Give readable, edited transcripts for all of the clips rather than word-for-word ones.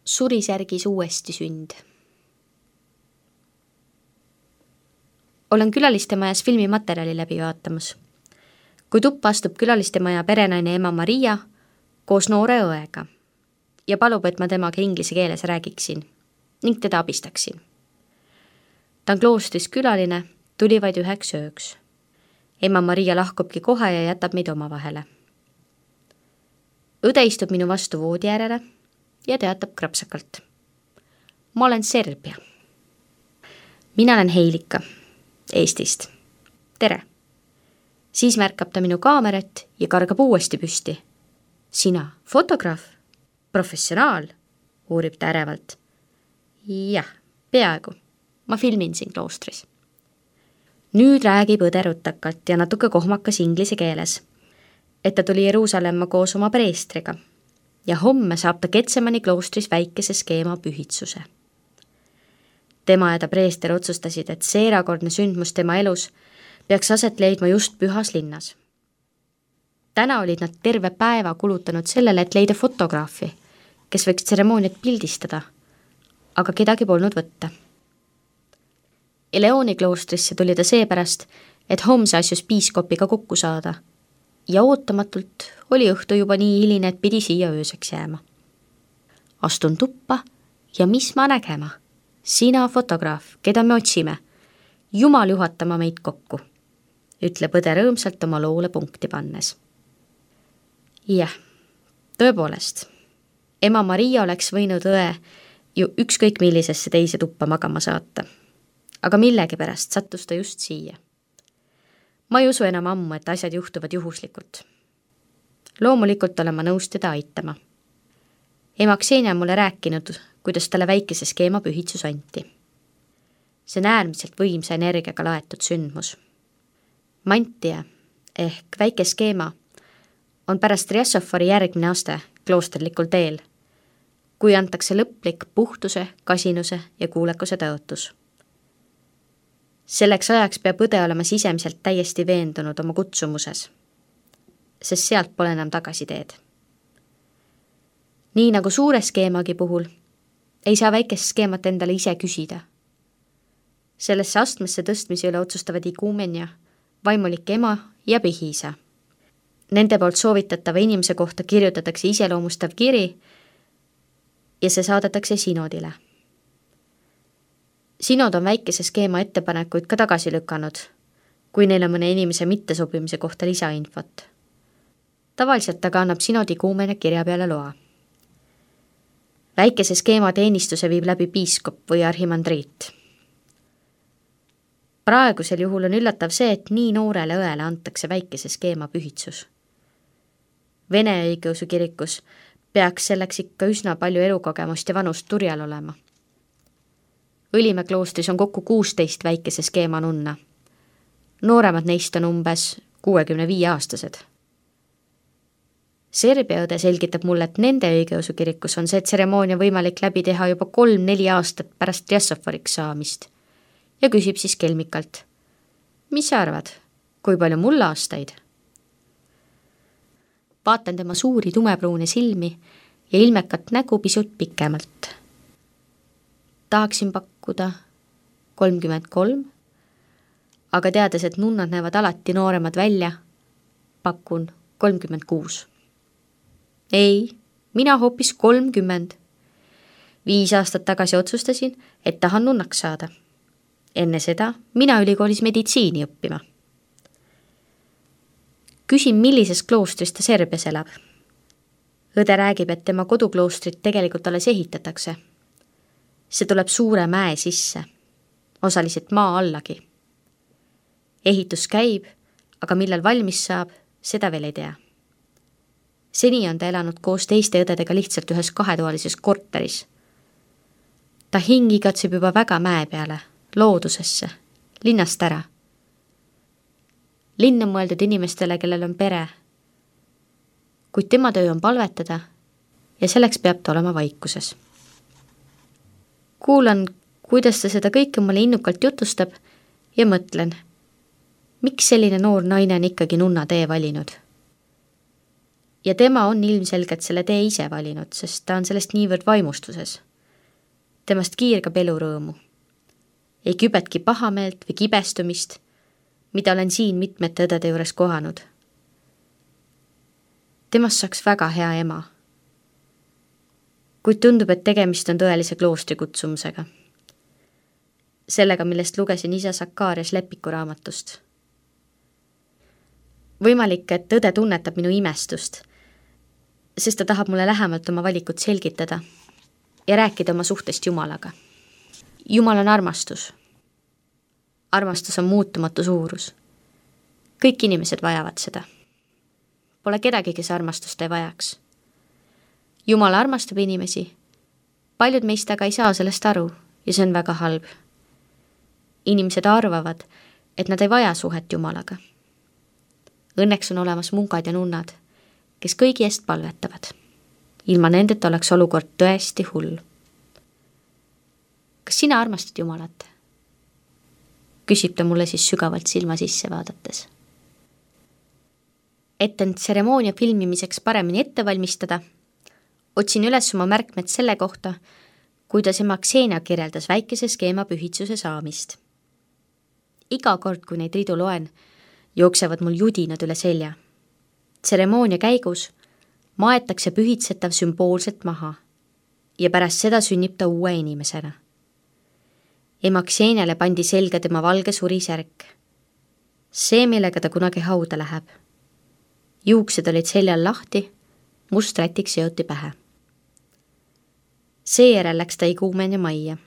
Surisärgis uuesti sünd. Olen külalistemajas filmimaterjali läbi vaatamas. Kui tuppa astub külalistemaja perenaine ema Maria koos noore õega ja palub, et ma temaga inglise keeles räägiksin ning teda abistaksin. Ta on kloostris külaline, tuli vaid 1 ööks. Ema Maria lahkubki kohe ja jätab meid omavahele. Õde istub minu vastu voodi äärele ja teatab krapsakalt. Ma olen Serbia. Mina olen Heilika, Eestist. Tere. Siis märkab ta minu kaamerat ja kargab uuesti püsti. Sina, fotograaf? Professionaal? Uurib ta ärevalt. Jah, peaaegu. Ma filmin siin kloostris. Nüüd räägib õde rutakalt ja natuke kohmakas inglise keeles, et ta tuli Jeruusalemma koos oma preestriga ja homme saab ta Getsemani kloostris väikese skeema pühitsuse. Tema ja ta preester otsustasid, et see erakordne sündmus tema elus peaks aset leidma just pühas linnas. Täna olid nad terve päeva kulutanud sellele, et leida fotograafi, kes võiks tseremooniat pildistada, aga kedagi polnud võtta. Eleoni kloostrisse tuli ta seepärast, et homse asjus piiskopiga kokku saada ja ootamatult oli õhtu juba nii hiline, et pidi siia ööseks jääma. Astun tuppa ja mis ma nägema? Sina fotograaf, keda me otsime. Jumal juhatama meid kokku, ütleb õde rõõmsalt oma loole punkti pannes. Jah, tõepoolest, ema Maria oleks võinud õe ju ükskõik millisesse teise tuppa magama saata, aga millegipärast sattus ta just siia. Ma ei usu enam ammu, et asjad juhtuvad juhuslikult. Loomulikult olen ma nõus teda aitama. Ema Ksenia on mulle rääkinud, kuidas talle väikese skeema pühitsus anti. See on äärmiselt võimsa energiaga laetud sündmus. Mantia ehk väike skeema on pärast Riassofori järgmine aste kloosterlikul teel, kui antakse lõplik puhtuse, kasinuse ja kuulekuse tõotus. Selleks ajaks peab õde olema sisemiselt täiesti veendunud oma kutsumuses, sest sealt pole enam tagasiteed. Nii nagu suure skeemagi puhul, ei saa väikest skeemat endale ise küsida. Sellesse astmesse tõstmise üle otsustavad iguumenia, vaimulik ema ja pihiisa. Nende poolt soovitatava inimese kohta kirjutatakse iseloomustav kiri ja see saadetakse sinodile. Sinod on väikese skeema ettepanekuid ka tagasi lükanud, kui neil on mõne inimese mittesobimise kohta lisainfot. Tavaliselt aga annab sinodi iguumenia kirja peale loa. Väikese skeema teenistuse viib läbi piiskop või arhimandriit. Praegusel juhul on üllatav see, et nii noorele õele antakse väikese skeema pühitsus. Vene õigeusu kirikus peaks selleks ikka üsna palju elukogemust ja vanust turjal olema. Õlimäe kloostris on kokku 16 väikese skeema nunna. Nooremad neist on umbes 65-aastased. Serbia õde selgitab mulle, et nende õigeusu kirikus on see tseremoonia võimalik läbi teha juba 3-4 aastat pärast Riassoforiks saamist ja küsib siis kelmikalt. Mis sa arvad, kui palju mul aastaid? Vaatan tema suuri tumepruune silmi ja ilmekat nägu pisut pikemalt. Tahaksin pakkuda 33, aga teades, et nunnad näevad alati nooremad välja, pakun 36. Ei, mina hoopis 30. 5 aastat tagasi otsustasin, et tahan nunnaks saada. Enne seda mina ülikoolis meditsiini õppima. Küsin, millises kloostris ta Serbias elab. Õde räägib, et tema kodukloostrit tegelikult alles ehitatakse. See tuleb suure mäe sisse, osaliselt maa allagi. Ehitus käib, aga millal valmis saab, seda veel ei tea. Seni on ta elanud koos teiste õdedega lihtsalt ühes 2-toalises korteris. Ta hing igatseb juba väga mäe peale, loodusesse, linnast ära. Linn on mõeldud inimestele, kellel on pere, kuid tema töö on palvetada ja selleks peab ta olema vaikuses. Kuulan, kuidas ta seda kõike mulle innukalt jutustab ja mõtlen, miks selline noor naine on ikkagi nunna tee valinud. Ja tema on ilmselgelt selle tee ise valinud, sest ta on sellest niivõrd vaimustuses. Temast kiirgab elurõõmu. Ei kübetki pahameelt või kibestumist, mida olen siin mitmete õdede juures kohanud. Temast saaks väga hea ema. Kuid tundub, et tegemist on tõelise kloostri kutsumusega. Sellega, millest lugesin isa Sakarias Lepiku raamatust. Võimalik, et õde tunnetab minu imestust, sest ta tahab mulle lähemalt oma valikut selgitada ja rääkida oma suhtest Jumalaga. Jumal on armastus. Armastus on muutumatu suurus. Kõik inimesed vajavad seda. Pole kedagi, kes armastust ei vajaks. Jumal armastab inimesi. Paljud meist aga ei saa sellest aru ja see on väga halb. Inimesed arvavad, et nad ei vaja suhet Jumalaga. Õnneks on olemas munkad ja nunnad, kes kõigi eest palvetavad. Ilma nendeta oleks olukord tõesti hull. Kas sina armastad Jumalat? Küsib ta mulle siis sügavalt silma sisse vaadates. Et end tseremoonia filmimiseks paremini ette valmistada, otsin üles oma märkmed selle kohta, kuidas ema Ksenia kirjeldas väikese skeema pühitsuse saamist. Iga kord, kui neid ridu loen, jooksevad mul judinad üle selja. Tseremoonia käigus maetakse pühitsetav sümboolselt maha ja pärast seda sünnib ta uue inimesena. Ema Kseniale pandi selga tema valge surisärk. See, millega ta kunagi hauda läheb. Juuksed olid seljal lahti, must rätik seoti pähe. Seejärel läks ta iguumenia majja,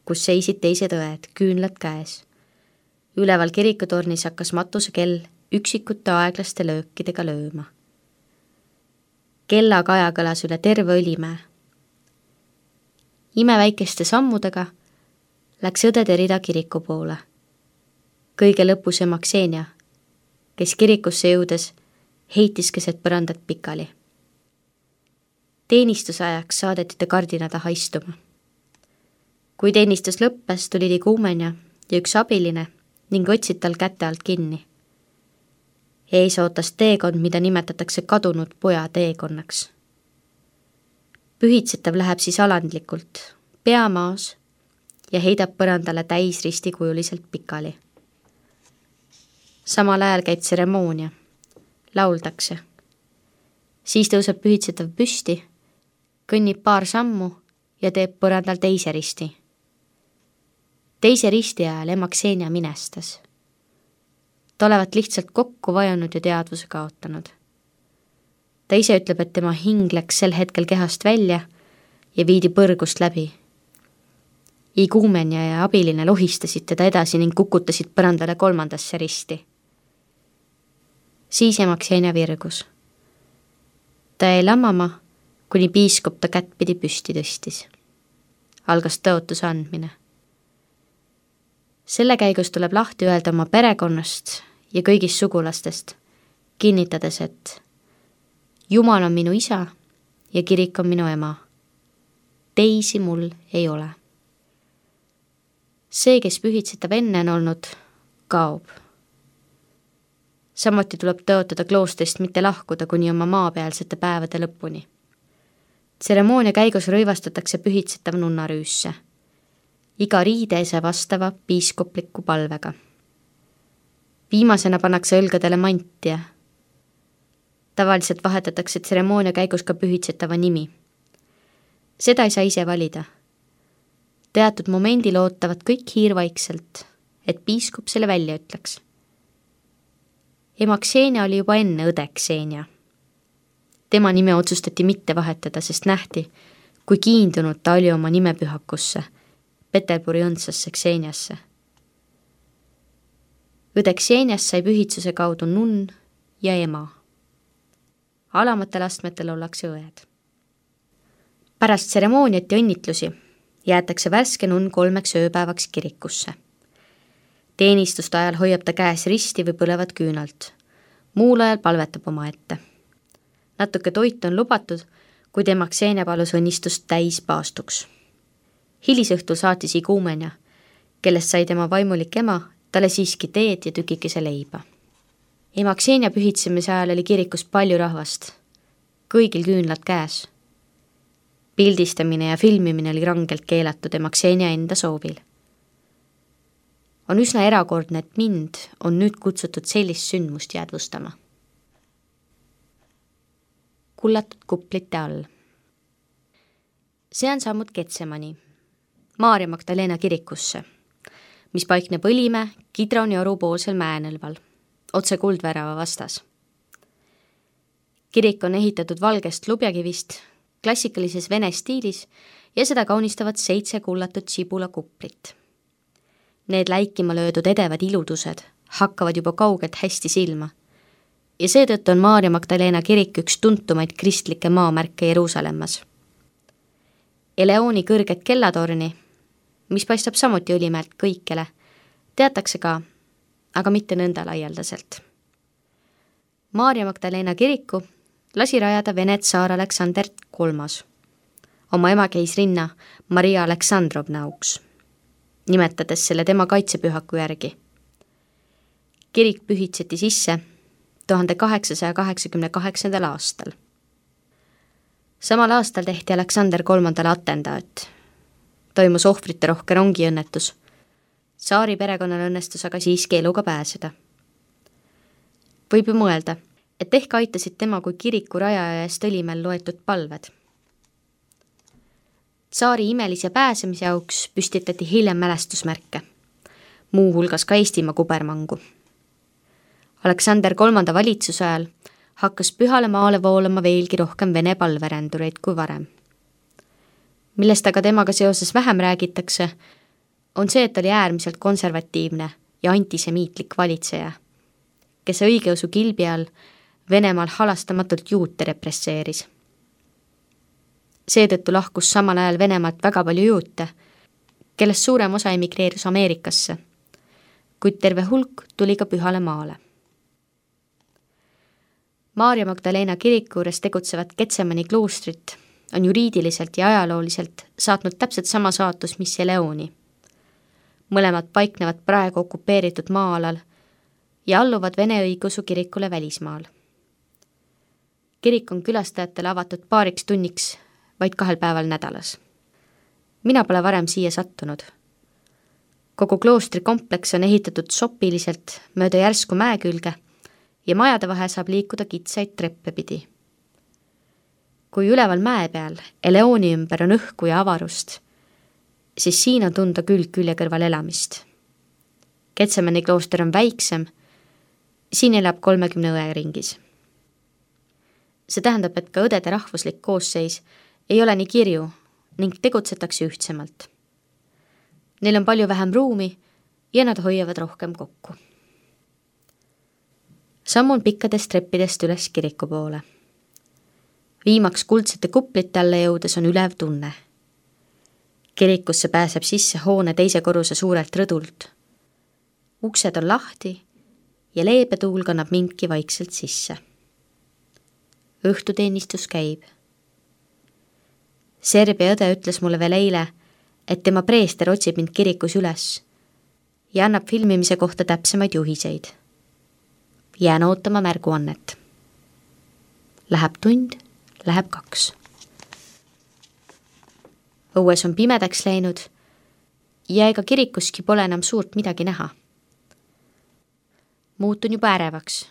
kus seisid teised õed, küünlad käes. Üleval kirikutornis hakkas matuse kell üksikute aeglaste löökidega lööma. Kellakaja kõlas üle terve Õlimäe. Imeväikeste sammudega läks õdede rida kiriku poole. Kõige lõpus ema Ksenia, kes kirikusse jõudes heitis keset põrandat pikali. Teenistusajaks saadeti ta kardina taha istuma. Kui teenistus lõppes, tuli iguumenia ja üks abiline ning võtsid tal käte alt kinni. Ees ootas teekond, mida nimetatakse kadunud poja teekonnaks. Pühitsetav läheb siis alandlikult, pea maas ja heidab põrandale täis ristikujuliselt pikali. Samal ajal käib tseremoonia, lauldakse. Siis tõuseb pühitsetav püsti, kõnnib paar sammu ja teeb põrandal teise risti. Teise risti ajal ema Ksenia minestas. Ta olevat lihtsalt kokku vajunud ja teadvuse kaotanud. Ta ise ütleb, et tema hing läks sel hetkel kehast välja ja viidi põrgust läbi. Iguumenia ja abiline lohistasid teda edasi ning kukutasid põrandale kolmandasse risti. Siis ema Ksenia virgus. Ta jäi lammama, kuni piiskop ta kättpidi püsti tõstis. Algas tõotuse andmine. Selle käigus tuleb lahti öelda oma perekonnast ja kõigist sugulastest, kinnitades, et Jumal on minu isa ja kirik on minu ema. Teisi mul ei ole. See, kes pühitsetav enne on olnud, kaob. Samuti tuleb tõotada kloostrist mitte lahkuda kuni oma maapealsete päevade lõpuni. Tseremoonia käigus rõivastatakse pühitsetav nunnarüüsse. Iga riideese vastava piiskopliku palvega. Viimasena pannakse õlgadele mantia. Tavaliselt vahetatakse tseremoonia käigus ka pühitsetava nimi. Seda ei saa ise valida. Teatud momendil ootavad kõik hiirvaikselt, et piiskop selle välja ütleks. Ema Ksenia oli juba enne õde Ksenia. Tema nime otsustati mitte vahetada, sest nähti, kui kiindunud ta oli oma nimepühakusse, Peterburi õndsasse Kseniasse. Õde Ksenias sai pühitsuse kaudu nunn ja ema. Alamatel astmetel ollakse õed. Pärast tseremooniat ja õnnitlusi jäetakse värske nunn 3 ööpäevaks kirikusse. Teenistuste ajal hoiab ta käes risti või põlevat küünalt. Muul ajal palvetab oma ette. Natuke toit on lubatud, kuid ema Ksenia palus õnnistust täis paastuks. Hilisõhtul saatis iguumenia, kellest sai tema vaimulik ema, talle siiski teed ja tükikese leiba. Ema Ksenia pühitsemise ajal oli kirikus palju rahvast. kõigil küünlad käes. Pildistamine ja filmimine oli rangelt keelatud ema Ksenia enda soovil. On üsna erakordne, et mind on nüüd kutsutud sellist sündmust jäädvustama. Kullatud kuplite all. See on sammud Getsemani, Maarja Magdalena kirikusse, mis paikneb Õlimäe Kidroni orupoolsel mäenõlval, otse Kuldvärava vastas. Kirik on ehitatud valgest lubjakivist, klassikalises vene stiilis ja seda kaunistavad 7 kullatud sibulakuplit. Need läikima löödud edevad iludused hakkavad juba kaugelt hästi silma ja seetõttu on Maarja Magdalena kirik üks tuntumaid kristlikke maamärke Jeruusalemmas. Eleoni kõrget kellatorni, mis paistab samuti Õlimäelt kõikjale, teatakse ka, aga mitte nõnda laialdaselt. Maarja Magdalena kiriku lasi rajada Vene tsaar Aleksander III oma emakeisrinna Maria Aleksandrovna auks, nimetades selle tema kaitsepühaku järgi. Kirik pühitseti sisse 1888. aastal. Samal aastal tehti Aleksander III atendaat. Toimus ohvrite rohke rongiõnnetus. Tsaari perekonnal õnnestus aga siiski eluga pääseda. Võib ju mõelda, et ehk aitasid tema kui kiriku rajaja eest Õlimäel loetud palved. Tsaari imelise pääsemise auks püstitati hiljem mälestusmärke, muu hulgas ka Eestimaa kubermangu. Aleksander III valitsuse ajal hakkas Pühale maale voolama veelgi rohkem Vene palverändureid kui varem. Millest aga temaga seoses vähem räägitakse, on see, et oli äärmiselt konservatiivne ja antisemiitlik valitseja, kes õigeusu kilbi all Venemaal halastamatult juute represseeris. Seetõttu lahkus samal ajal Venemaalt väga palju juute, kellest suurem osa emigreerus Ameerikasse, kuid terve hulk tuli ka Pühale maale. Maarja Magdalena kiriku juures tegutsevat Getsemani kloostrit on juriidiliselt ja ajalooliselt saatnud täpselt sama saatus, mis Eleoni. Mõlemad paiknevad praegu okupeeritud maa-alal ja alluvad Vene õigeusu kirikule välismaal. Kirik on külastajatele avatud paariks tunniks vaid 2 päeval nädalas. Mina pole varem siia sattunud. Kogu kloostri kompleks on ehitatud sopiliselt mööda järsku mäe külge ja majade vahe saab liikuda kitsaid treppe pidi. Kui üleval mäe peal Eleoni ümber on õhku ja avarust, siis siin on tunda külg külje kõrval elamist. Getsemani klooster on väiksem, siin elab 30 õe ringis. See tähendab, et ka õdede rahvuslik koosseis ei ole nii kirju ning tegutsetakse ühtsemalt. Neil on palju vähem ruumi ja nad hoiavad rohkem kokku. Sammun pikkadest treppidest üles kiriku poole. Viimaks kuldsete kuplite alla jõudes on ülev tunne. Kirikusse pääseb sisse hoone teise korruse suurelt rõdult. Uksed on lahti ja leebe tuul kannab mindki vaikselt sisse. Õhtuteenistus käib. Serbia õde ütles mulle veel eile, et tema preester otsib mind kirikus üles ja annab filmimise kohta täpsemaid juhiseid. Jään ootama märguannet. Läheb tund, läheb 2. Õues on pimedaks läinud ja ega kirikuski pole enam suurt midagi näha. Muutun juba ärevaks,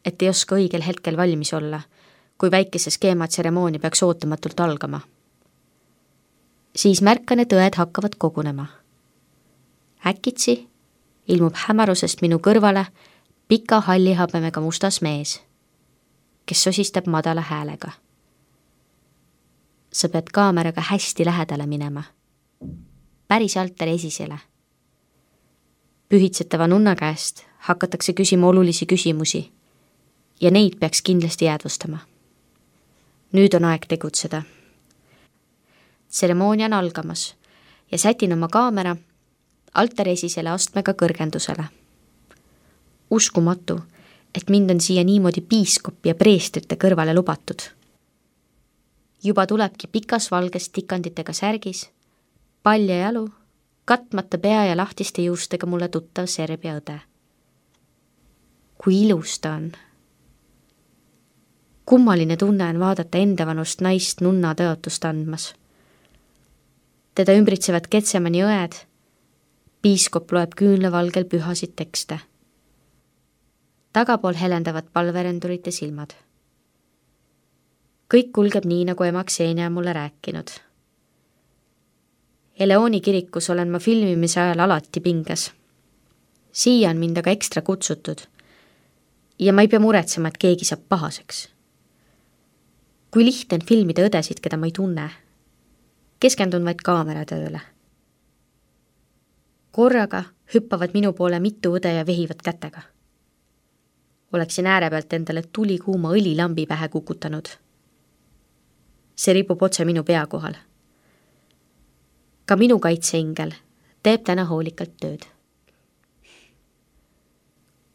et ei oska õigel hetkel valmis olla, kui väikese skeema tseremoonia peaks ootamatult algama. Siis märkan, et õed hakkavad kogunema. Äkitsi ilmub hämarusest minu kõrvale pika hallihabemega mustas mees, kes sosistab madala häälega. Sa pead kaameraga hästi lähedale minema. Päris altari esisele. Pühitsetava nunna käest hakatakse küsima olulisi küsimusi ja neid peaks kindlasti jäädvustama. Nüüd on aeg tegutseda. Tseremoonia on algamas ja sätin oma kaamera altari esisele astmega kõrgendusele. Uskumatu, et mind on siia niimoodi piiskopi ja preestrite kõrvale lubatud. Juba tulebki pikas valges tikanditega särgis, palja jalu, katmata pea ja lahtiste juustega mulle tuttav Serbia õde. Kui ilus ta on. Kummaline tunne on vaadata endavanust naist nunna tõotust andmas. Teda ümbritsevad Getsemani õed, piiskop loeb küünlavalgel pühasid tekste. Tagapool helendavad palverendurite silmad. Kõik kulgeb nii, nagu ema Xenia mulle rääkinud. Eleoni kirikus olen ma filmimise ajal alati pinges. Siia on mind aga ekstra kutsutud ja ma ei pea muretsema, et keegi saab pahaseks. Kui lihtne on filmida õdesid, keda ma ei tunne, keskendun vaid kaameratööle. Korraga hüppavad minu poole mitu õde ja vehivad kätega. Oleksin ääre pealt endale tulikuuma õlilambi pähe kukutanud. See ripub otse minu pea kohal. Ka minu kaitseingel teeb täna hoolikalt tööd.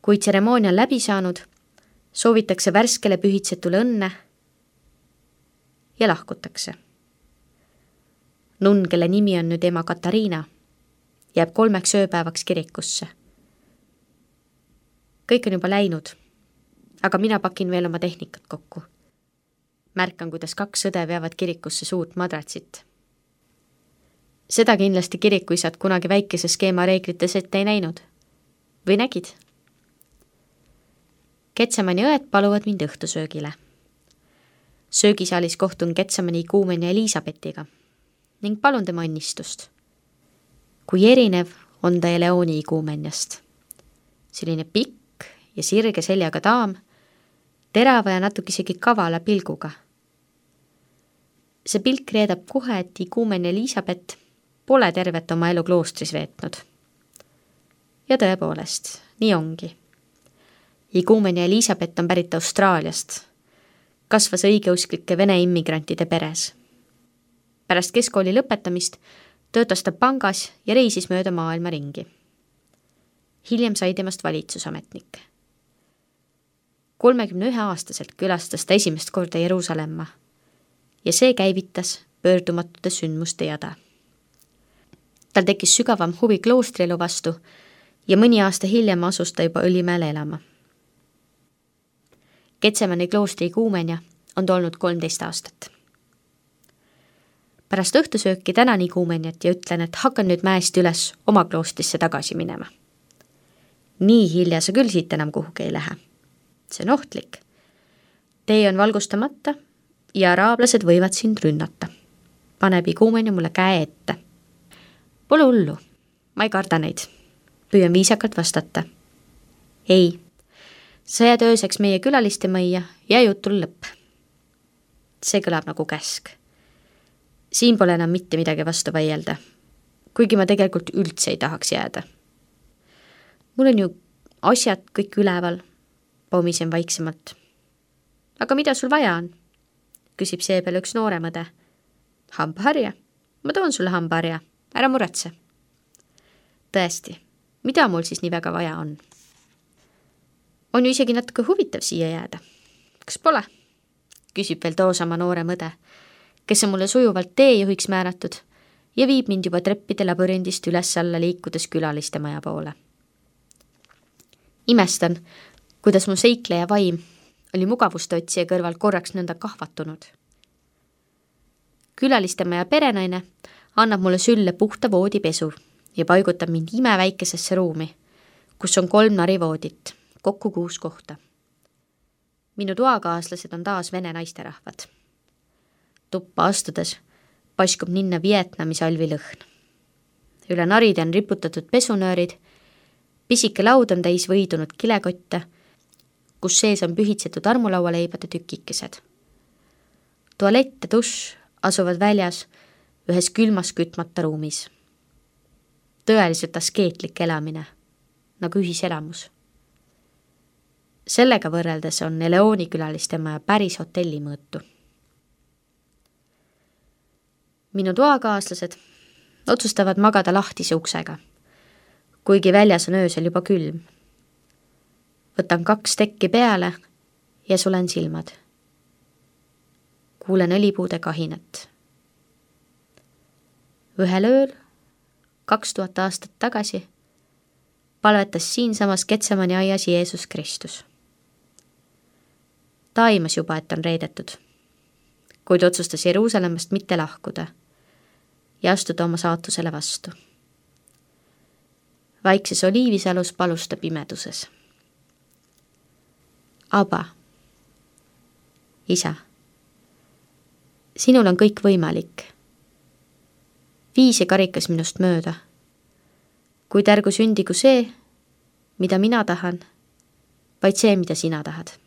Kui tseremoonia on läbi saanud, soovitakse värskele pühitsetule õnne ja lahkutakse. Nunn, kelle nimi on nüüd ema Katariina, jääb 3 ööpäevaks kirikusse. Kõik on juba läinud, aga mina pakin veel oma tehnikat kokku. Märkan, kuidas 2 õde veavad kirikusse suurt madratsit. Seda kindlasti kirikuisad kunagi väikese skeema reeglites ette ei näinud. Või nägid? Getsemani õed paluvad mind õhtusöögile. Söögisaalis kohtun Getsemani ikuumenia Elisabetiga ning palun tema õnnistust. Kui erinev on ta Eleoni ikuumeniast. Selline pikk ja sirge seljaga daam, terava ja natuke isegi kavala pilguga. See pilk reedab kohe, et ikuumenia Elisabet pole tervet oma elu kloostris veetnud. Ja tõepoolest, nii ongi. Ikuumenia Elisabet on pärit Austraaliast. Kasvas õigeusklike vene immigrantide peres. Pärast keskkooli lõpetamist töötas ta pangas ja reisis mööda maailma ringi. Hiljem sai temast valitsusametnik. 31-aastaselt külastas ta esimest korda Jeruusalemma ja see käivitas pöördumatute sündmuste jada. Tal tekkis sügavam huvi kloostrielu vastu ja mõni aasta hiljem asus ta juba Õlimäele elama. Getsemani kloostri ikuumenia on tolnud 13 aastat. Pärast õhtusööki tänan ikuumeniat ja ütlen, et hakkan nüüd mäest üles oma kloostrisse tagasi minema. Nii hilja sa küll siit enam kuhugi ei lähe. See on ohtlik. Tee on valgustamata ja araablased võivad sind rünnata. Paneb ikuumenia mulle käe ette. Pole hullu, ma ei karda neid. Püüan viisakalt vastata. Ei, sa jääd ööseks meie külaliste majja ja jutul lõpp. See kõlab nagu käsk. Siin pole enam mitte midagi vastu vaielda, kuigi ma tegelikult üldse ei tahaks jääda. Mul on ju asjad kõik üleval, pomisen vaiksemalt. Aga mida sul vaja on? Küsib seepeal üks noorem õde. Hambaharja? Ma toon sulle hambaharja, ära muretse. Tõesti, mida mul siis nii väga vaja on? On ju isegi natuke huvitav siia jääda. Kas pole? Küsib veel toosama noorem õde, kes on mulle sujuvalt teejuhiks määratud ja viib mind juba treppide labürindist üles-alla liikudes külaliste maja poole. Imestan, kuidas mu seikleja vaim oli mugavustotsija kõrval korraks nõnda kahvatunud. Külaliste maja perenaine annab mulle sülle puhta voodipesu ja paigutab mind imeväikesesse ruumi, kus on 3 narivoodit, kokku 6 kohta. Minu toakaaslased on taas vene naisterahvad. Tuppa astudes paiskub ninna Vietnami salvi lõhn. Üle naride on riputatud pesunöörid, pisike laud on täis võidunud kilekotte, kus sees on pühitsetud armulaualeibade tükikesed. Tualett ja dušš asuvad väljas ühes külmas kütmata ruumis. Tõeliselt askeetlik elamine, nagu ühiselamus. Sellega võrreldes on Eleoni külaliste maja päris hotelli mõõtu. Minu toakaaslased otsustavad magada lahtise uksega, kuigi väljas on öösel juba külm. Võtan 2 tekki peale ja sulen silmad. Kuulen õlipuude kahinat. Ühel ööl, 2000 aastat tagasi, palvetas siinsamas Getsemani aias Jeesus Kristus. Ta aimas juba, et on reedetud, kuid otsustas Jeruusalemmast mitte lahkuda ja astuda oma saatusele vastu. Vaikses oliivisalus palus ta pimeduses. Aba, isa, sinul on kõik võimalik. Vii see karikas minust mööda, kuid ärgu sündigu see, mida mina tahan, vaid see, mida sina tahad.